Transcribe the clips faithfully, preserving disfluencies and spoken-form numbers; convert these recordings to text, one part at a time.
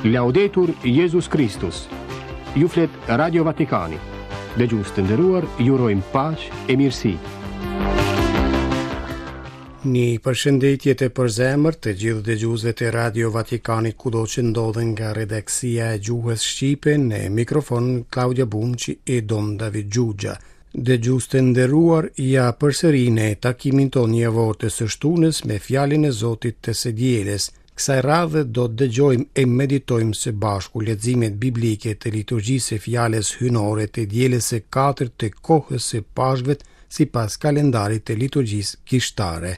Laudetur Jezus Kristus. Ju flet Radio Vatikani. Dëgjues të nderuar, ju urojmë paqe e mirësi. Një përshëndetje të përzemërt të gjithë dëgjuesve të Radio Vatikanit kudo që ndodhen nga redaksia e gjuhës shqipe në mikrofon Klaudia Bumçi e Dom David Xhuxha. Dëgjues të nderuar, ja përsëri në takimin tonë javor të së shtunës me fjalën e Zotit të së dielës. Kësaj radhe do të dëgjojmë e meditojmë së bashku leximet biblike të liturgjisë së fjalës hyjnore të dielës së katërt të kohës së Pashkëve sipas kalendarit të liturgjisë kishtare.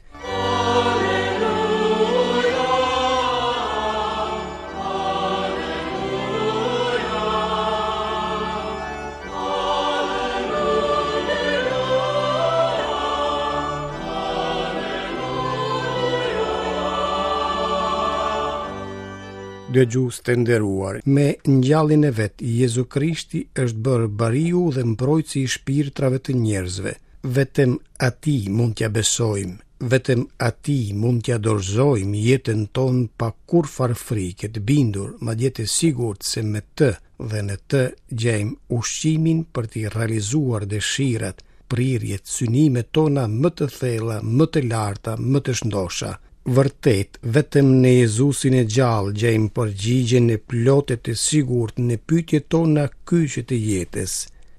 Dëgjues të nderuar, me ngjalljen e vet, Jezu Krishti është bërë bariu dhe mbrojtësi i shpirtrave të njerëzve. Vetëm atij mund t'ia besojmë, vetëm atij mund t'ia dorëzojmë jetën tonë pa kurrfarë frike, të bindur, madje të sigurt se me të dhe në të gjejmë ushqimin për t'i realizuar dëshirat, prirjet, synimet tona më të thella, më të larta, më të shndosha. Vërtet, vetëm në Jezusin e gjallë gjejmë përgjigjen e plotë të sigurt në pyetjet tona kyçe të jetës.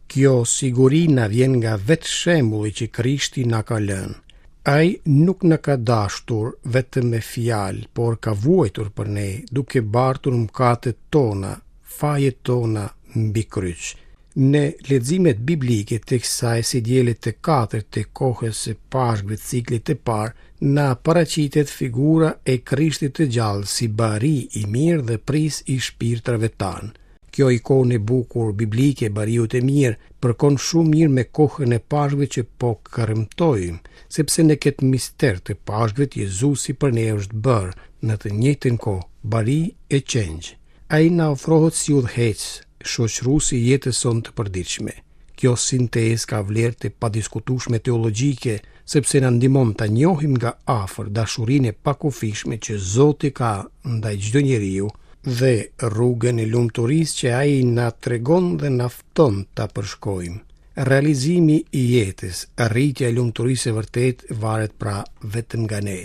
Kjo siguri na vjen nga vetë shembulli që Krishti na ka lënë. Ai nuk na ka dashur vetëm me fjalë, por ka vuajtur për ne, duke bartur mëkatet tona, fajet tona mbi kryq. Në leximet biblike të kësaj së diele të katërt të kohës së Pashkëve të ciklit të parë, na paraqitet figura e Krishtit të gjallë si bari i mirë dhe pris i shpirtrave tanë. Kjo ikonë e bukur biblike e bariut e mirë përkon shumë mirë me kohën e Pashkëve që po kremtojmë, sepse në këtë mister të Pashkëve Jezusi për ne është bërë në të njëjtën kohë bari e qengj. Ai na ofrohet si udhëheqës, shoqërues i jetës sonë të përditshme. Kjo sintezë ka vlerë të padiskutueshme teologjike, sepse na ndihmon ta njohim nga afër dashurinë e pakufishme që Zoti ka ndaj çdo njeriu dhe rrugën e lumturisë që ai na tregon dhe na fton ta përshkojmë. Realizimi i jetës, arritja e lumturisë së vërtetë varet pra vetëm nga ne.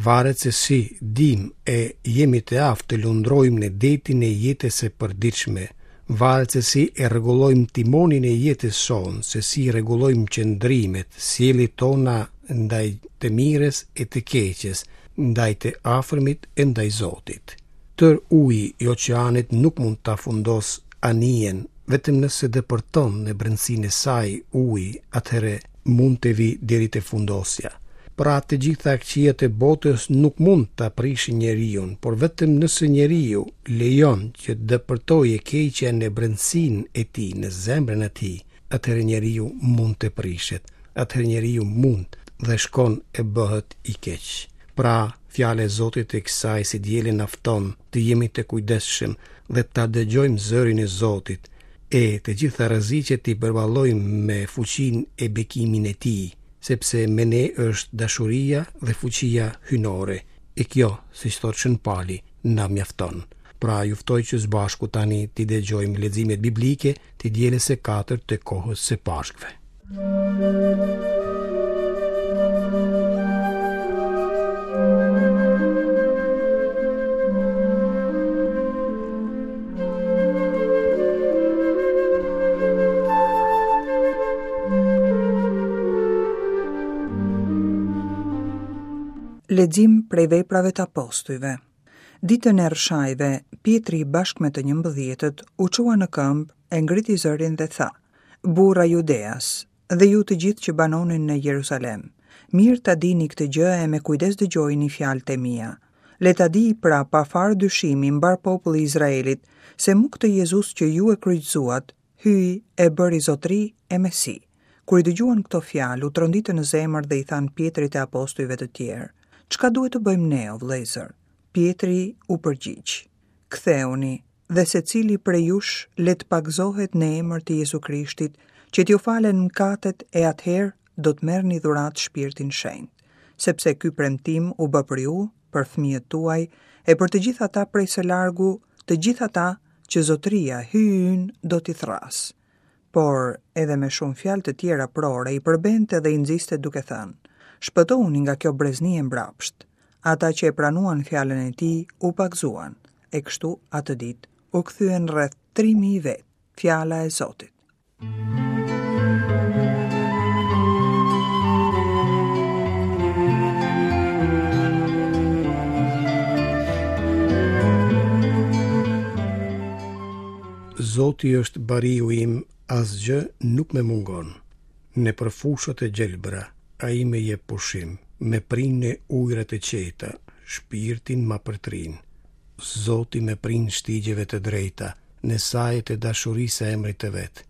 Varet se si dim e jemi të aftë të lundrojmë në detin e jetës së përditshme. Varet se si e rregullojmë timonin e jetës sonë, se si rregullojmë qëndrimet, sjelljet tona ndaj të mirës e të keqes, ndaj të afërmit e ndaj Zotit. Tër uji i oqeanit nuk mund ta fundos anijen, vetëm nëse depërton në brendësinë e saj uji, atëherë mund të vi deri te fundosja. Pra të gjitha këqijat e botës nuk mund ta prishin njeriun, por vetëm nëse njeriu lejon që të depërtojë e keqja në brendësinë e tij, në zemrën e tij, atëherë njeriu mund të prishet, atëherë njeriu mund dhe shkon e bëhet i keq. Pra, fjala e Zotit e kësaj së diele na fton të jemi të kujdesshëm dhe ta dëgjojmë zërin e Zotit, e të gjitha rreziqet t'i përballojmë me fuqinë e bekimin e tij, sepse me ne është dashuria dhe fuqia hyjnore, e kjo, siç thotë Shën Pali, na mjafton. Pra, ju ftoj që së bashku tani t'i dëgjojmë leximet biblike të dielës së katërt të kohës së Pashkëve. Lexim prej veprave të apostujve. Ditën e rrshajve, Pjetri bashkë me të njëmbëdhjetët u çua në këmbë, e ngriti zërin dhe tha: Burra Judeas, dhe ju të gjithë që banoni në Jeruzalem, mirë ta dini këtë gjë e me kujdes dëgjojini fjalët e mia. Le ta di pra pa farë dyshimi mbar populli i Izraelit, se mu këtë Jezus që ju e kryqëzuat, Hyji e bëri zotëri e Mesi. Kur i dëgjuan këto fjalë, u tronditën në zemër dhe i thanë Pjetrit e apostujve të tjerë: Çka duhet të bëjmë ne, o vëllezër? Pjetri u përgjigj: Ktheuni dhe secili prej jush le të pagëzohet në emër të Jezu Krishtit, që t'ju falen mëkatet e atëherë do të merrni dhuratë Shpirtin Shenjt, sepse ky premtim u bë për ju, për fëmijët tuaj e për të gjithë ata prej së largu, të gjithë ata që Zotëria, Hyji ynë, do t'i thërrasë. Por edhe me shumë fjalë të tjera prore i përbente dhe i nxiste duke thënë: Shpëtohuni nga kjo brezni e mbrapsht. Ata që e pranuan fjalën e tij u pagëzuan, e kështu atë ditë u kthyen rreth tri mijë vetë. Fjala e Zotit. Zoti është bariu im, asgjë nuk më mungon. Nëpër fushat e gjelbra, ai më jep pushim, më prin në ujërat e qeta, shpirtin ma përtrin. Zoti më prin shtigjeve të drejta, në sajet e dashurisë së emrit të vet.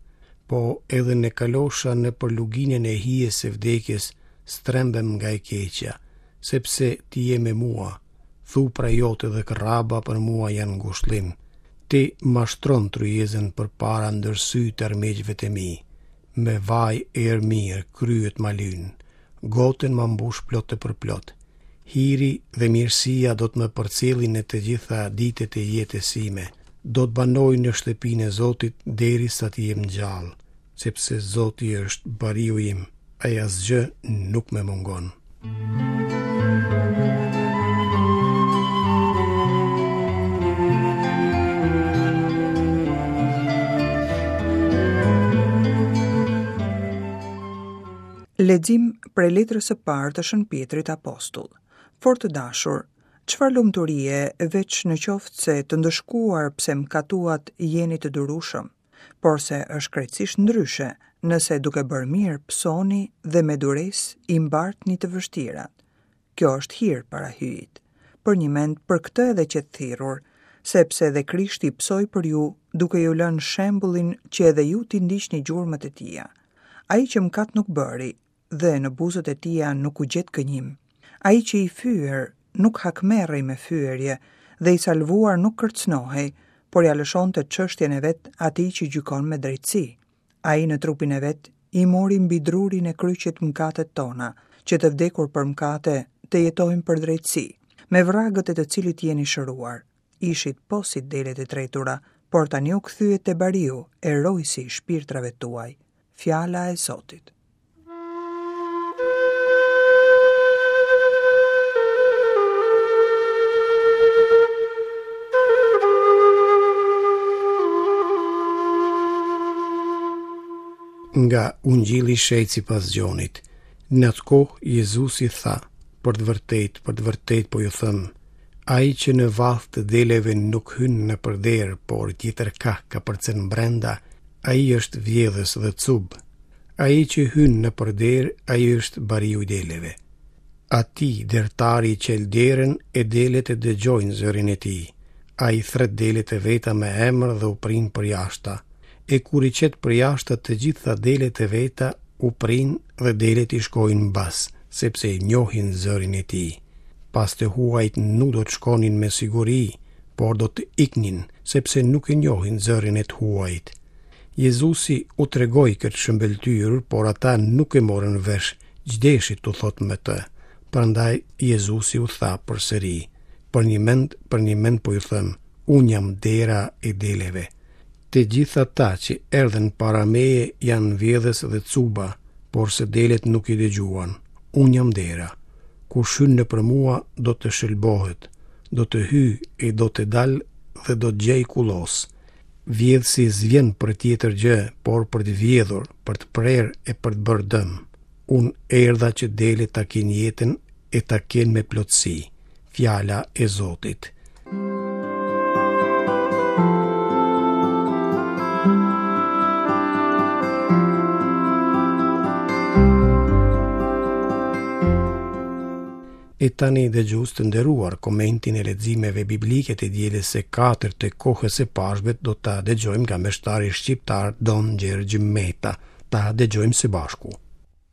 Po edhe në kalosha nëpër luginën e hijes së vdekjes, strembem nga e keqja, sepse ti je me mua, thupra jote dhe kërraba për mua janë ngushllim. Ti ma shtron tryezën përpara ndër sy të armiqve të mi. Me vaj erë mirë kryet ma lyn, gotën ma mbush plot e përplot. Hiri dhe mirësia do të më përcjellin në të gjitha ditët e jetës sime. Do të banoj në shtëpinë e Zotit derisa të jem gjallë, sepse Zoti është bariu im, ai asgjë nuk më mungon. Lexim prej letrës së parë të Shën Pjetrit Apostull. Fort të dashur, çfarë lumturie veç në qoftë se të ndëshkuar pse mkatuat jeni të durueshëm, por se është krejtësisht ndryshe nëse duke bërë mirë pësoni dhe me duresë i mbartni të vështirat. Kjo është hir para Hyjit. Për një mend për këtë edhe që të thirrur, sepse edhe Krishti pësoi për ju, duke ju lënë shembullin që edhe ju t'i ndiqni gjurmët e tija. Ai që mkat nuk bëri dhe në buzët e tija nuk u gjet gënjim. Ai që i fyer nuk hakmerrej me fyerje dhe i salvuar nuk kërcënohej, por ja lëshonte çështjen e vet atij që gjykon me drejtësi. Ai në trupin e vet i mori mbi drurin e kryqit mkatet tona, që të vdekur për mkate të jetojmë për drejtësi, me vragët e të cilit jeni shëruar. Ishit po si delet e tretura, por tani u kthyet te bariu, e rojsi i shpirtrave tuaj. Fjala e Zotit. Nga Ungjilli i Shenjtë sipas Gjonit. Në atë kohë Jezusi tha: Për të vërtetë, për të vërtetë po ju them, ai që në vath të deleve nuk hyn nëpër derë, por tjetër kah kapërcen brenda, ai është vjedhës dhe cub. Ai që hyn nëpër derë, ai është bariu i deleve. Ati dertari çel derën e delet e dëgjojnë zërin e tij. Ai thret delet e veta me emër dhe u prin përjashta. E kur i qet përjashta të gjitha delet e veta, u prin dhe delet i shkojnë mbas, sepse e njohin zërin e tij. Pas të huajt nuk do të shkonin me siguri, por do të iknin, sepse nuk e njohin zërin e të huajt. Jezusi u tregoi këtë shëmbëlltyrë, por ata nuk e morën vesh, ç'deshi t'u thotë me të. Prandaj Jezusi u tha përsëri: Për një mend, për një mend po ju them, unë jam dera e deleve. Të gjithë ata që erdhën para meje janë vjedhës dhe cuba, por se delet nuk i dëgjuan. Unë jam dera. Kush hyn nëpër mua do të shëlbohet, do të hyj e do të dal dhe do të gjej kullos. Vjedhësi s'vjen për tjetër gjë, por për të vjedhur, për të prerë e për të bërë dëm. Unë erdha që delet ta kenë jetën e ta kenë me plotësi. Fjala e Zotit. E tani dëgjues të nderuar, komentin e leximeve biblike të dielës së katërt të kohës së Pashkëve do ta dëgjojmë nga meshtari shqiptar Don Gjergj Meta. Ta dëgjojmë së bashku.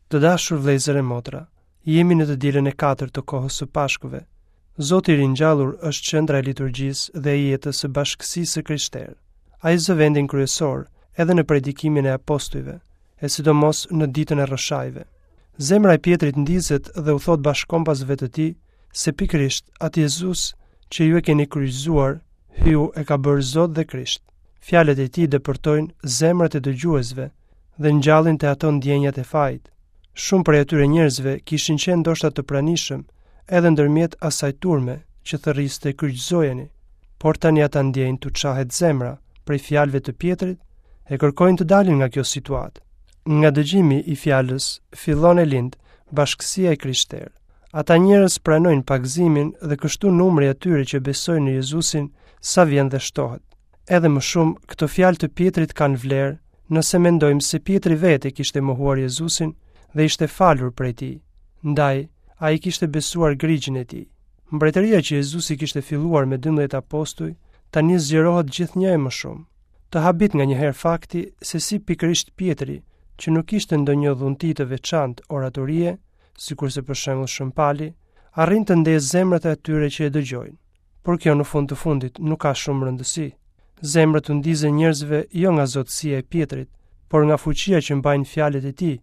Të dashur vëllezër e motra, jemi në të dielën e katërt të kohës së Pashkëve. Zoti i ringjallur është qendra e liturgjisë dhe e jetës së bashkësisë së krishterë. Ai zë vendin kryesor edhe në predikimin e apostujve, e sidomos në ditën e rrëshajve. Zemra e Pjetrit ndizet dhe u thot bashkombasve të tij se pikërisht atë Jezus që ju e keni kryqëzuar, Hyju e ka bërë Zot dhe Krisht. Fjalët e tij depërtojnë zemrat e dëgjuesve dhe ngjallin te ato ndjenjat e fajit. Shumë prej atyre njerëzve kishin qenë ndoshta të pranishëm edhe ndërmjet asaj turme që thërriste kryqëzojeni, por tani ata ndjejnë t'u çahet zemra prej fjalëve të Pjetrit e kërkojnë të dalin nga kjo situatë. Nga dëgjimi i fjalës fillon e lind bashkësia e krishterë. Ata njerëz pranojnë pagëzimin dhe kështu numri i atyre që besojnë në Jezusin sa vjen dhe shtohet. Edhe më shumë, këto fjalë të Pjetrit kanë vlerë nëse mendojmë se Pjetri vetë e kishte mohuar Jezusin dhe ishte falur prej tij. Ndaj, ai kishte besuar grigjin e tij. Mbretëria që Jezusi kishte filluar me dymbëdhjetë apostuj, tani zgjerohet gjithnjë e më shumë. Të habit nganjëherë fakti se si pikërisht Pjetri, që nuk kishte ndonjë dhunti të veçantë oratorie, sikurse për shembull Shën Pali, arrin të ndezë zemrat e atyre që e dëgjojnë. Por kjo në fund të fundit nuk ka shumë rëndësi. Zemrat u ndizen njerëzve jo nga zotësia e Pjetrit, por nga fuqia që mbajnë fjalët e tij,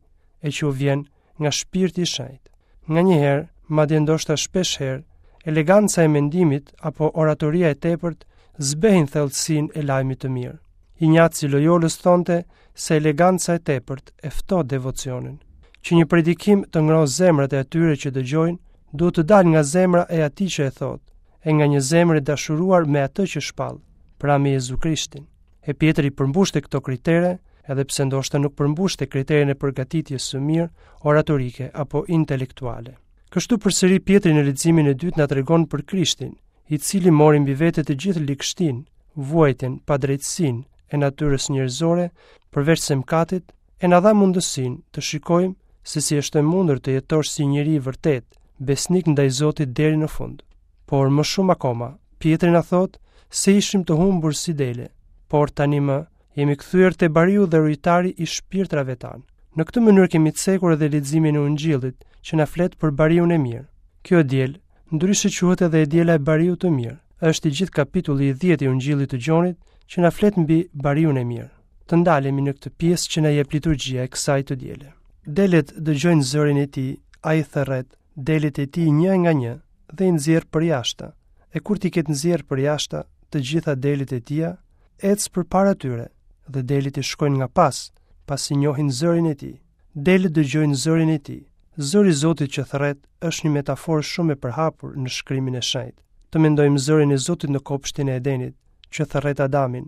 e që u vjen nga shpirti i shenjtë. Nganjëherë, madje ndoshta shpesh herë, eleganca e mendimit apo oratoria e tepërt zbehin thellësinë e lajmit të mirë. Injaci i Loyolës thonte se eleganca e tepërt e ftoh devocionin. Që një predikim të ngrohë zemrat e atyre që dëgjojnë, duhet të dalë nga zemra e atij që e thotë, e nga një zemër e dashuruar me atë që shpall, pra me Jezu Krishtin. E Pjetri përmbushte këto kritere, edhe pse ndoshta nuk përmbushte kriterin e përgatitjes së mirë oratorike apo intelektuale. Kështu përsëri Pjetri në leximin e dytë na tregon për Krishtin, i cili mori mbi vete të gjithë ligështinë, vuajtjen, padrejtësinë e natyrës njerëzore, përveç se mëkatit, e na dha mundësinë të shikojmë se si është e mundur të jetosh si njeri i vërtet, besnik ndaj Zotit deri në fund. Por më shumë akoma, Pjetri na thotë se ishim të humbur si dele, por tani më jemi kthyer te bariu dhe rujtari i shpirtrave tanë. Në këtë mënyrë kemi cekur edhe leximin e Ungjillit, që na flet për bariun e mirë. Kjo e diel, ndryshe quhet edhe e diela e bariut të mirë. Është i gjithë kapitulli i dhjetë i Ungjillit të Gjonit që na flet mbi bariun e mirë. Të ndalemi në këtë pjesë që na jep liturgjia e kësaj të diele. Delet dëgjojnë zërin e tij, ai thërret delet e tij një nga një dhe i nxjerr përjashta. E kur t'i ketë nxjerr përjashta të gjitha delet e tija, ec përpara tyre dhe delet i shkojnë nga pas, pasi njohin zërin e tij. Delet dëgjojnë zërin e tij. Zëri i Zotit që thërret është një metaforë shumë e përhapur në shkrimin e shenjtë. Të mendojmë zërin e Zotit në kopshtin e Edenit, që thërret Adamin,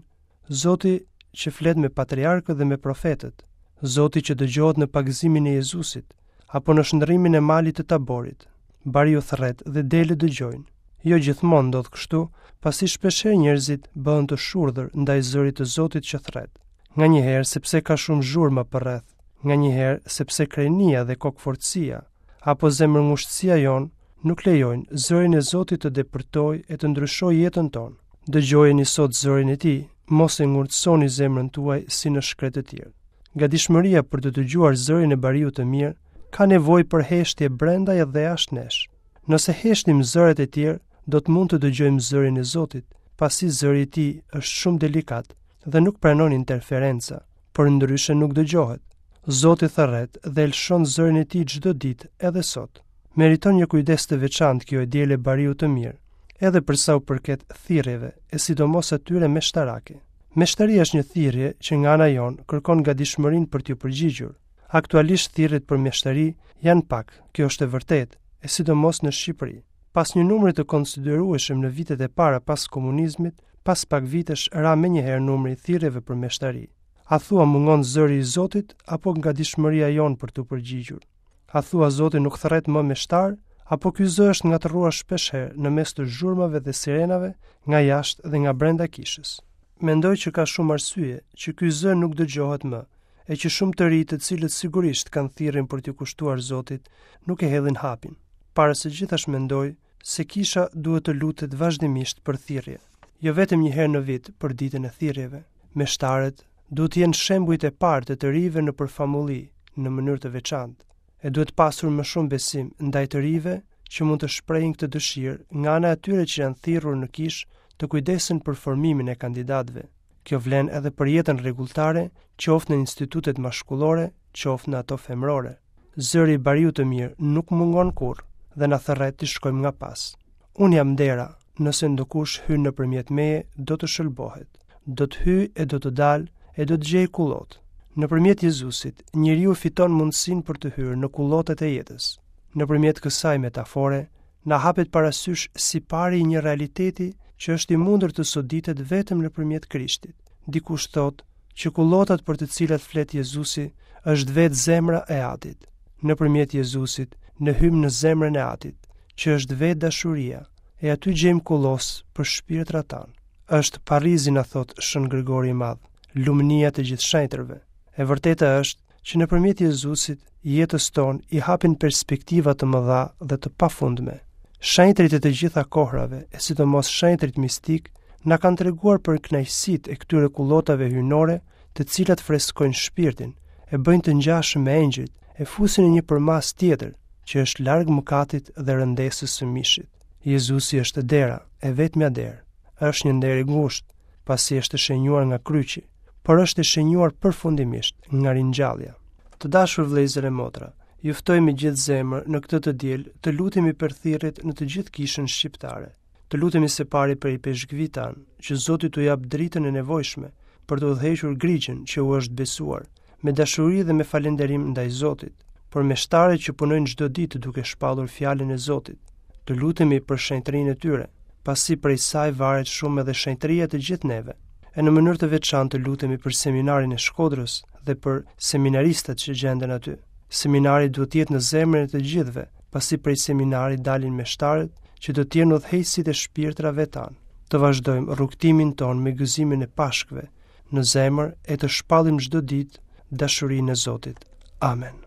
Zoti që flet me patriarkët dhe me profetët, Zoti që dëgjohet në pagëzimin e Jezusit, apo në shndërrimin e malit të Taborit. Bariu thërret dhe delet dëgjojnë. Jo gjithmonë ndodh kështu, pasi shpeshherë njerëzit bëhen të shurdhër ndaj zërit të Zotit që thërret. Nganjëherë sepse ka shumë zhurma përreth, nganjëherë sepse krenia dhe kokfortësia apo zemërngushtësia jonë nuk lejojnë zërin e Zotit të depërtojë e të ndryshojë jetën tonë. Dëgjojeni sot zërin e tij, mos e ngurtësoni zemrën tuaj si në shkretëtirë. Gatishmëria për të dëgjuar zërin e bariut të mirë ka nevojë për heshtje brenda dhe jashtë nesh. Nëse heshtim zërat e tjerë, do të mund të dëgjojmë zërin e Zotit, pasi zëri i tij është shumë delikat dhe nuk pranon interferenca, por ndryshe nuk dëgjohet. Zoti thërret dhe lëshon zërin e tij çdo ditë, edhe sot. Meriton një kujdes të veçantë kjo e diele bariut të mirë, edhe për sa u përket thirrjeve, e sidomos atyre meshtarake. Meshtaria është një thirrje që nga ana jonë kërkon gatishmërinë për t'ju përgjigjur. Aktualisht thirrjet për meshtari janë pak, kjo është e vërtetë, e sidomos në Shqipëri. Pas një numri të konsiderueshëm në vitet e para pas komunizmit, pas pak vitesh ra menjëherë numri i thirrjeve për meshtari. A thua mungon zëri i Zotit apo gatishmëria jonë për t'u përgjigjur? A thua Zoti nuk thërret më meshtar, apo ky zë është ngatërruar shpeshherë në mes të zhurmave dhe sirenave nga jashtë dhe nga brenda kishës? Mendoj që ka shumë arsye që ky zë nuk dëgjohet më, e që shumë të ri të cilët sigurisht kanë thirrjen për t'ju kushtuar Zotit, nuk e hedhin hapin. Para së gjithash mendoj se kisha duhet të lutet vazhdimisht për thirrje, jo vetëm një herë në vit për ditën e thirrjeve. Meshtarët duhet të jenë shembujt e parë të të rinjve në përfamulli në mënyrë të veçantë, e duhet pasur më shumë besim ndaj të rinjve që mund të shprehin këtë dëshirë nga ana e atyre që janë thirrur në kishë të kujdesen për formimin e kandidatëve. Kjo vlen edhe për jetën rregulltare, qoftë në institutet mashkullore, qoftë në ato femërore. Zëri i bariut të mirë nuk mungon kurrë dhe na thërret të shkojmë nga pas. Unë jam dera, Nëse ndokush hyn nëpërmjet meje, do të shëlbohet. Do të hyjë e do të dalë e do të gjejë kullot. Nëpërmjet Jezusit, njeriu fiton mundësinë për të hyrë në kullotet e jetës. Nëpërmjet kësaj metafore, na hapet parasysh si pari i një realiteti që është i mundur të soditet vetëm nëpërmjet Krishtit. Dikush thotë që kullotat për të cilat flet Jezusi është vetë zemra e Atit. Nëpërmjet Jezusit, ne hyjmë në zemrën e Atit, që është vetë dashuria, e aty gjejmë kullos për shpirtrat tanë. Është Parizi, na thotë Shën Grigori i Madh, lumnia të gjithë shenjtërve. E vërteta është që nëpërmjet Jezusit, jetës tonë i hapin perspektiva të mëdha dhe të pafundme. Shenjtërit e të gjitha kohrave, e sidomos shenjtërit mistik, na kanë treguar për kënaqësitë e këtyre kullotave hyjnore, të cilat freskojnë shpirtin, e bëjnë të ngjashëm me engjëjt, e fusin në një përmas tjetër, që është larg mëkatit dhe rëndesës së mishit. Jezusi është dera, e vetmja derë. Është një nder i ngushtë, pasi është shenjuar nga kryqi, por është e shenjuar përfundimisht nga ringjallja. Të dashur vëllezër e motra, ju ftoj me gjithë zemër në këtë të diel të lutemi për thirrjet në të gjithë kishën shqiptare. Të lutemi se pari për ipeshkvit tanë, që Zoti t'u jap dritën e nevojshme për të udhëhequr grigjën që u është besuar, me dashuri dhe me falënderim ndaj Zotit, por me shtarët që punojnë çdo ditë duke shpallur fjalën e Zotit. Të lutemi për shenjtërinë e tyre, pasi prej saj varet shumë edhe shenjtëria e të gjithë neve. E në mënyrë të veçantë të lutemi për seminarin e Shkodrës dhe për seminaristët që gjenden aty. Seminari duhet të jetë në zemrën e të gjithëve, pasi prej seminarit dalin meshtarët që do të jenë udhëheqësit e shpirtrave tanë. Të vazhdojmë rrugtimin tonë me gëzimin e Pashkëve në zemër e të shpallim çdo ditë dashurinë e Zotit. Amen.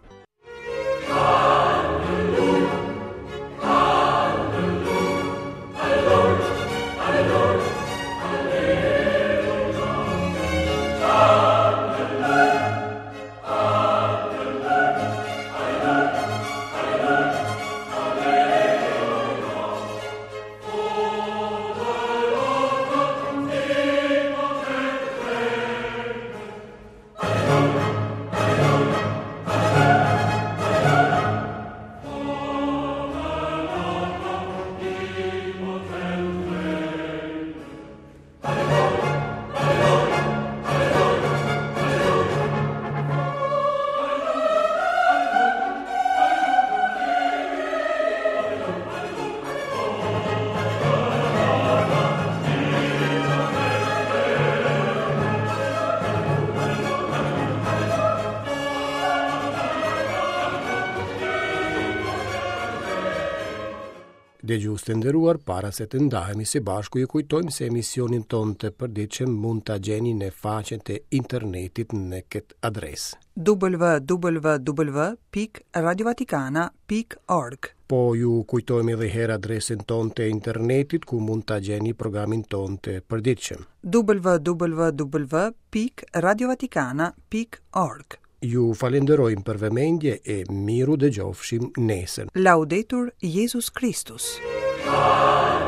Dëgjues të nderuar, para se të ndahemi së bashku, ju kujtojmë se emisionin tonë të përditshëm mund ta gjeni në faqen e internetit në këtë adresë: w w w pikë radiovatikana pikë org. Po ju kujtojmë edhe herë adresën tonë të internetit ku mund ta gjeni programin tonë të përditshëm: w w w pikë radiovatikana pikë org. Ju falenderojmë për vëmendje e miru dëgjofshim nesër. Laudetur Jezus Kristus. Amen.